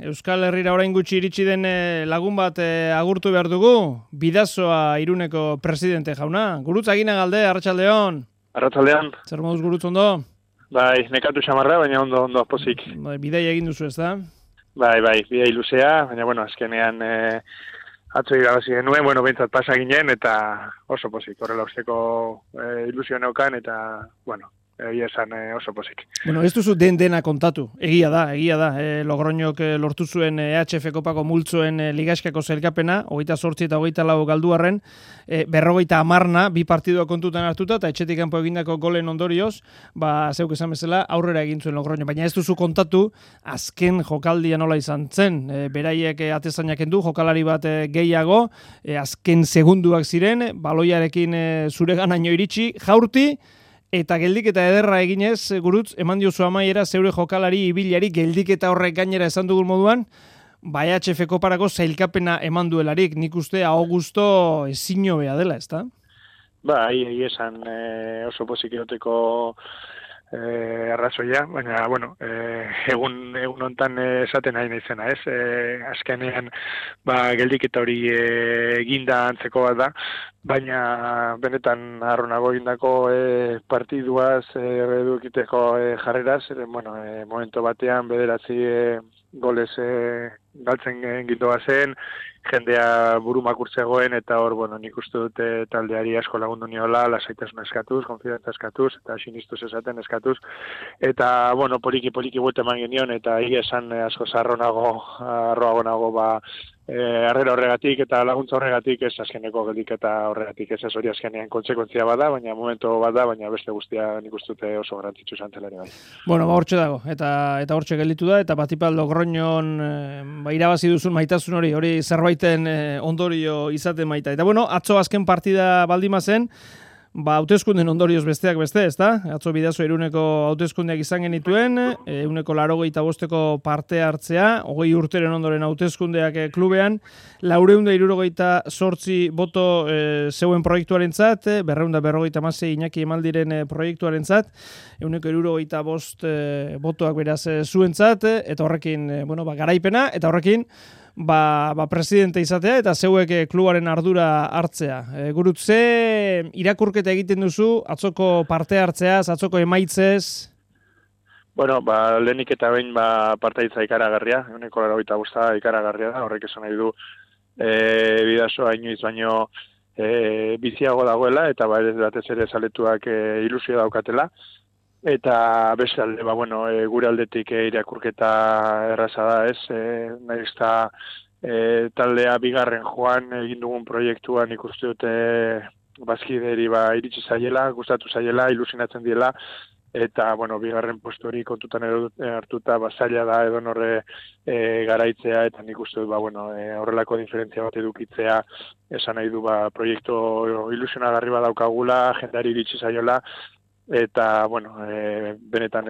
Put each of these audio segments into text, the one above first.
Euskal Herrira orain gutxi iritsi den lagun bat agurtu behar dugu, Bidasoa Iruneko presidente jauna. Gurutz Agina Galde, Arratsaldeon. Arratsaldean. Zer moduz Gurutz, ondo? Bai, nekatu xamarra, baina ondo pozik. Bidai egin duzu, ezta? Bai, bidai luzea, baina azkenean atzo irabazi genuen, behintzat pasa ginen, eta oso pozik, horrela usteko ilusio neukan, eta, egia esan oso pozik. Ez duzu dena kontatu, egia da. Logroñok lortu zuen EHF Kopako multzoen ligaskako zelkapena, 28 eta 24 galduarren, 50 bi partidua kontutan hartuta, eta etxetik kanpo egindako golen ondorioz, zeuk esan bezala, aurrera egin zuen Logroño. Baina ez duzu kontatu, azken jokaldia nola izan zen, beraiek atezainak endu, jokalari bat gehiago, azken segunduak ziren, baloiarekin zureganaino iritsi, jaurti, eta geldiketa ederra eginez, Gurutz, eman diozu amaiera zeure jokalari ibilari geldiketa horrek gainera esan dugun moduan, EHF Koparako zailkapena eman duelarik, nik uste Augusto ezin hobea dela, ezta? Bai, esan oso pozik egoteko arrazoia, baina, egun hontan esaten nahi naizena, ez? Azkenean, geldiketa hori eginda antzeko bat da, baina benetan harronago egindako partiduaz edukiteko jarreraz, momento batean bederatzi golez galtzen gindoa zen, jendea buru makurtzegoen, eta hor, nik uste dute taldeari asko lagundu niola, lasaitasuna eskatuz, konfidantza eskatuz, eta sinistuz esaten eskatuz, eta, poliki buelta eman genion, eta egia esan asko arroago nago, harrera horregatik eta laguntza horregatik, ez azkeneko geldiketa horregatik, ez hori azkenean kontsekuentzia bada, baina momento bada, baina beste guztia nik uste dute oso garrantzitsu izan zela ere bai. Hortxe dago, eta hortxe gelditu da, eta batipat Logroñon irabazi duzun maitasun hori zerbaiten ondorio izaten maita. Eta atzo azken partida baldima zen, hauteskunden ondorioz besteak beste, ezta? Atzo Bidasoa Iruneko hauteskundeak izan genituen, 185 parte hartzea, 20 urteren ondoren hauteskundeak klubean, 468 boto zeuen proiektuarentzat, 256 Iñaki Emaldiren proiektuarentzat, 175 botoak beraz zuentzat, eta horrekin, garaipena, eta horrekin presidente izatea eta zeuek klubaren ardura hartzea. Gurutz, ze irakurketa egiten duzu atzoko parte hartzeaz, atzoko emaitzez? Lehenik eta behin partaitza ikaragarria, 185 ikaragarria da, horrek esan nahi du Bidasoa inoiz baino biziago dagoela, eta batez ere zaletuak ilusio daukatela. Eta beste alde, gure aldetik irakurketa erraza da, ez? Nahiz eta taldea bigarren joan egin dugun proiektuan ikuste dute bazkideri iritsi zaiela, gustatu zaiela, ilusinatzen diela, eta, bigarren postu hori kontutan hartuta zaila da edonorre garaitzea, eta nik uste dut, horrelako diferentzia bat edukitzea, esan nahi du, proiektu ilusionagarri bat daukagula, jendeari iritsi zaiola, eta, benetan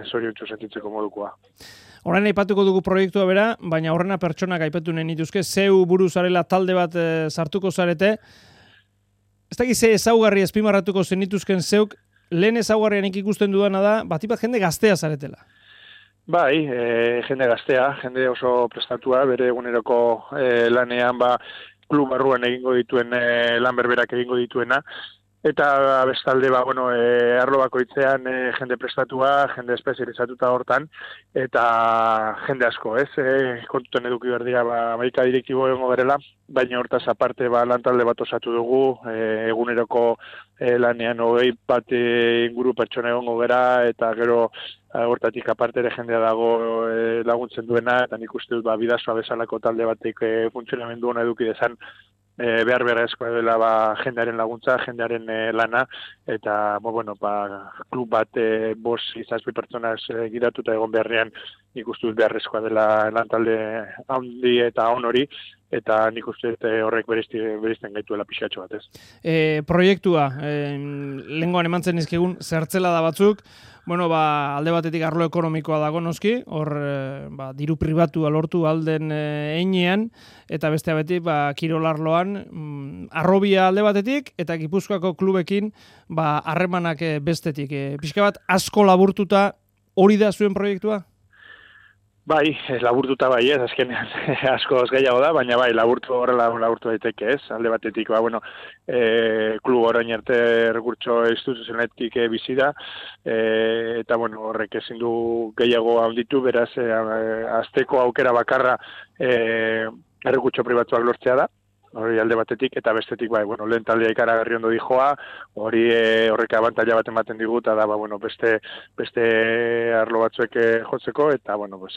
zoriontsu sentitzeko modukoa. Horren aipatuko dugu proiektua bera, baina horrena pertsonak aipatu nahi nituzke, zeu buru zarela talde bat sartuko zarete. Ez dakiz ze ezaugarri azpimarratuko zenituzken zeuk, lehen ezaugarrianik ikusten dudana da, batipat jende gaztea zaretela. Bai, jende gaztea, jende oso prestatua, bere eguneroko lanean, klub barruan egingo dituen lan berberak egingo dituena, eta bestalde, arlo bakoitzean jende prestatua, jende espezializatuta hortan, eta jende asko, ez? Kontutan eduki behar dira, 11 direktibo egongo berela, baina hortaz aparte lantalde bat osatu dugu, eguneroko lanean 20 bat inguru pertsona egongo gera, eta gero hortatik aparte ere jendea dago laguntzen duena, eta nik uste dut Bidasoa bezalako talde batek funtzionamendu ona eduki dezan, behar beharrezkoa dela jendearen laguntza, jendearen lana, eta klub bat 5-6 pertsonaz gidatuta egon beharrean nik uste dut beharrezkoa dela lantalde handi eta on hori, eta nik uste horrek bereizten gaituela pixatxo bat, ez. Proiektua, lehengoan emantzen izkegun zertzela da batzuk, alde batetik arlo ekonomikoa dago noski, hor diru pribatua lortu alden einean, eta beste betik kirolarloan arrobia alde batetik, eta Gipuzkoako klubekin harremanak bestetik. Pixka bat asko laburtuta hori da zuen proiektua? Bai, laburtuta bai ez, azkenean asko gehiago da, baina bai, laburtu daiteke ez, alde batetik, klub orain arte errekurtso instituzionetik bizi da, eta horrek ezin du gehiago handitu, beraz, azteko aukera bakarra errekurtso pribatuak lortzea da, hori alde batetik, eta bestetik, lehen taldea ikaragarri ondo dijoa, horrek abantaila bat ematen digu, eta da, beste arlo batzuek jotzeko, eta,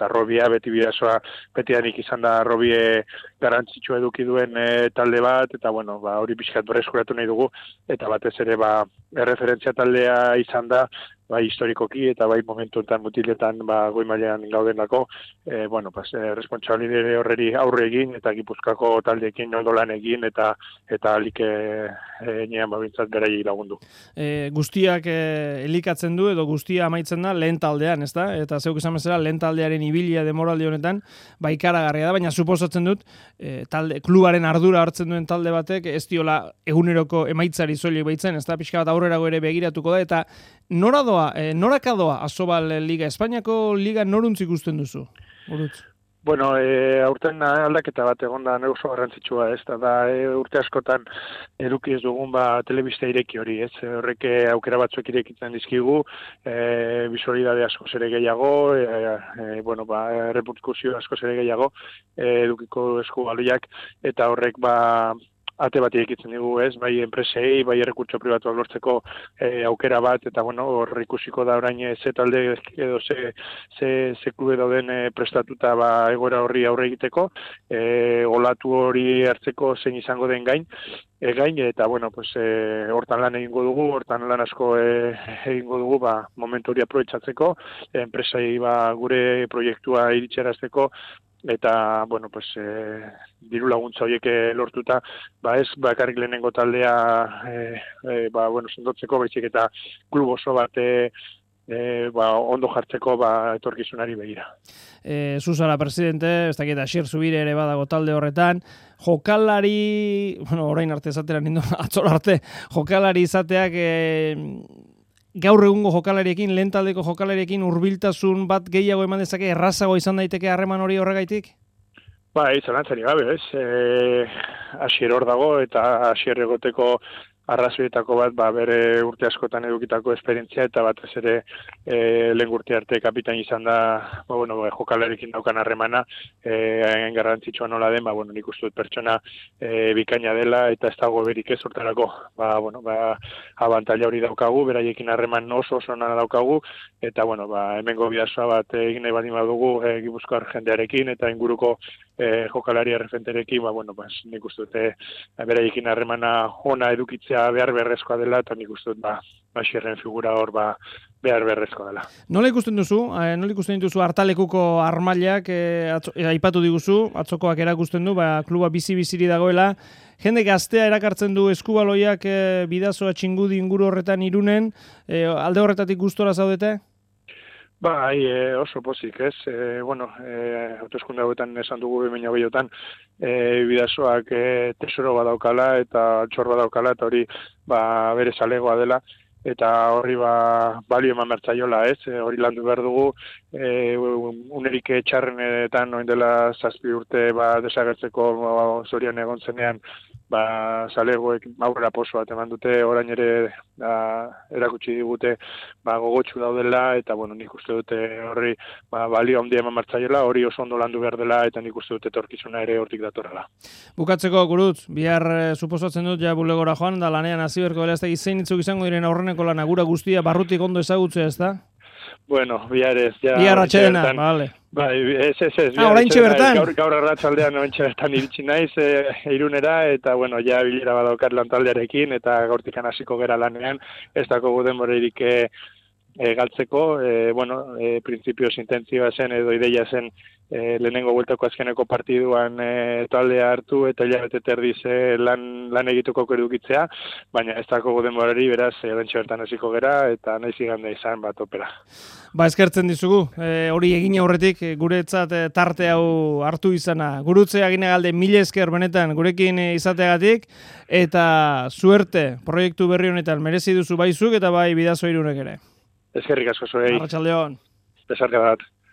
arrobia, beti bidazoa, beti danik izan da arrobie garrantzitsua eduki duen talde bat, eta, hori pixkat berreskuratu nahi dugu, eta batez ere, erreferentzia taldea izan da, bai historikoki eta bai momentuetan mutiletan goi mailean gaudenako, responsabilitate horreri aurre egin eta Gipuzkoako taldeekin ondo lan egin eta alik enean babintzat beraiei lagundu. Guztiak elikatzen du edo guztia amaitzen da lehen taldean, ezta? Eta zeuk esan bezala lehen taldearen ibilia demoraldi honetan ikaragarria da, baina suposatzen dut klubaren ardura hartzen duen talde batek ez diola eguneroko emaitzari soilik baitzen, ezta? Pixka bat aurrerago ere begiratuko da, eta norakadoa Asobal Liga, Espainiako Liga noruntz ikusten duzu? Burutz. Aurten aldaketa bat egon da oso garrantzitsua, ez da urte askotan eduki ez dugun telebista ireki hori, ez horrek aukera batzuek irekitzen dizkigu, bisualidade askoz ere gehiago, reperkusio askoz ere gehiago edukiko esku baliak, eta horrek ate bat irekitzen digu, ez, bai enpresei, bai errekurtso pribatuak lortzeko aukera bat, eta hor ikusiko da orain ze talde edo ze klube dauden prestatuta egoera horri aurre egiteko, olatu hori hartzeko zein izango den gain, eta hortan lan egingo dugu, hortan lan asko egingo dugu, momentu hori aprobetxatzeko, enpresei gure proiektua iritsarazteko, eta, diru laguntza horiek lortuta, ez bakarrik lehenengo taldea, sendotzeko, baizik eta klub oso bat ondo jartzeko etorkizunari begira. Zuzara presidente, ez dakit Asier Zubire ere badago talde horretan, jokalari, orain arte esatera nindo, atzor arte, jokalari izateak gaur egungo jokalariekin, lehen taldeko jokalariekin hurbiltasun bat gehiago eman dezake, errazago izan daiteke harreman hori horregaitik? Zalantzari gabe, ez? Asier hor dago eta Asier egoteko arrazoietako bat, bere urte askotan edukitako esperientzia eta batez ere lehen urte arte kapitain izan da, jokalarekin daukan harremana, garrantzitsua nola den, nik uste dut pertsona bikaina dela eta ez dago berik ez hortarako, abantaila hori daukagu, beraiekin harreman oso nana daukagu, eta hemengo bidazoa bat egin nahi badin badugu Gipuzkoar jendearekin eta inguruko jokalari erreferenterekin, nik uste dut beraiekin harremana ona edukitzea behar beharrezkoa dela, eta nik uste dut Asierren figura hor behar beharrezkoa dela. Nola ikusten dituzu hartalekuko armailak, aipatu diguzu, atzokoak erakusten du, kluba bizi-biziri dagoela, jende gaztea erakartzen du eskubaloiak bidazoa txingudi inguru horretan Irunen, alde horretatik gustora zaudete? Oso pozik, ez? Hauteskunde hauetan esan dugu 2008an, bidazoak tesoro badaukala eta altxor badaukala, eta hori bere zalegoa dela, eta horri balio eman bertzaiola, ez? Hori landu behar dugu, unerik txarrenetan oin dela 7 urte desagertzeko zorian egon zenean, zalegoek aurrera poso bat eman dute, orain ere erakutsi digute gogotsu daudela, eta nik uste dute horri balio handia eman martzaiola, hori oso ondo landu behar dela, eta nik uste dute etorkizuna ere hortik datorrela. Bukatzeko, Gurutz, bihar suposatzen dut bulegora joan, da lanean hasi berko dela, ez da zein itzuk izango diren aurreneko lana gura guztia barrutik ondo ezagutzea, ez da? Bihar ez. Bihar atxedena, bale. Ez. Oraintxe bertan? Gaur arratsaldean oraintxe bertan iritsi naiz Irunera, eta bilera badaukat lantaldearekin, eta gaurtikan hasiko gera lanean, ez dago denborarik galtzeko, printzipioz intentzioa zen edo ideia zen lehenengo bueltako azkeneko partiduan taldea hartu eta hilabete terdiz lan egituko edukitzea, baina ez dago denborari, beraz, oraintxe bertan hasiko gera, eta naiz igande izan opera. Eskertzen dizugu, hori egin aurretik guretzat tarte hau hartu izana. Gurutzea ginegalde, mila esker benetan gurekin izateagatik, eta suerte proiektu berri honetan merezi duzu baizuk eta bai Bidasoa Irunek ere. Eskerrik asko zuei. Arratsaldeon. Besarka bat.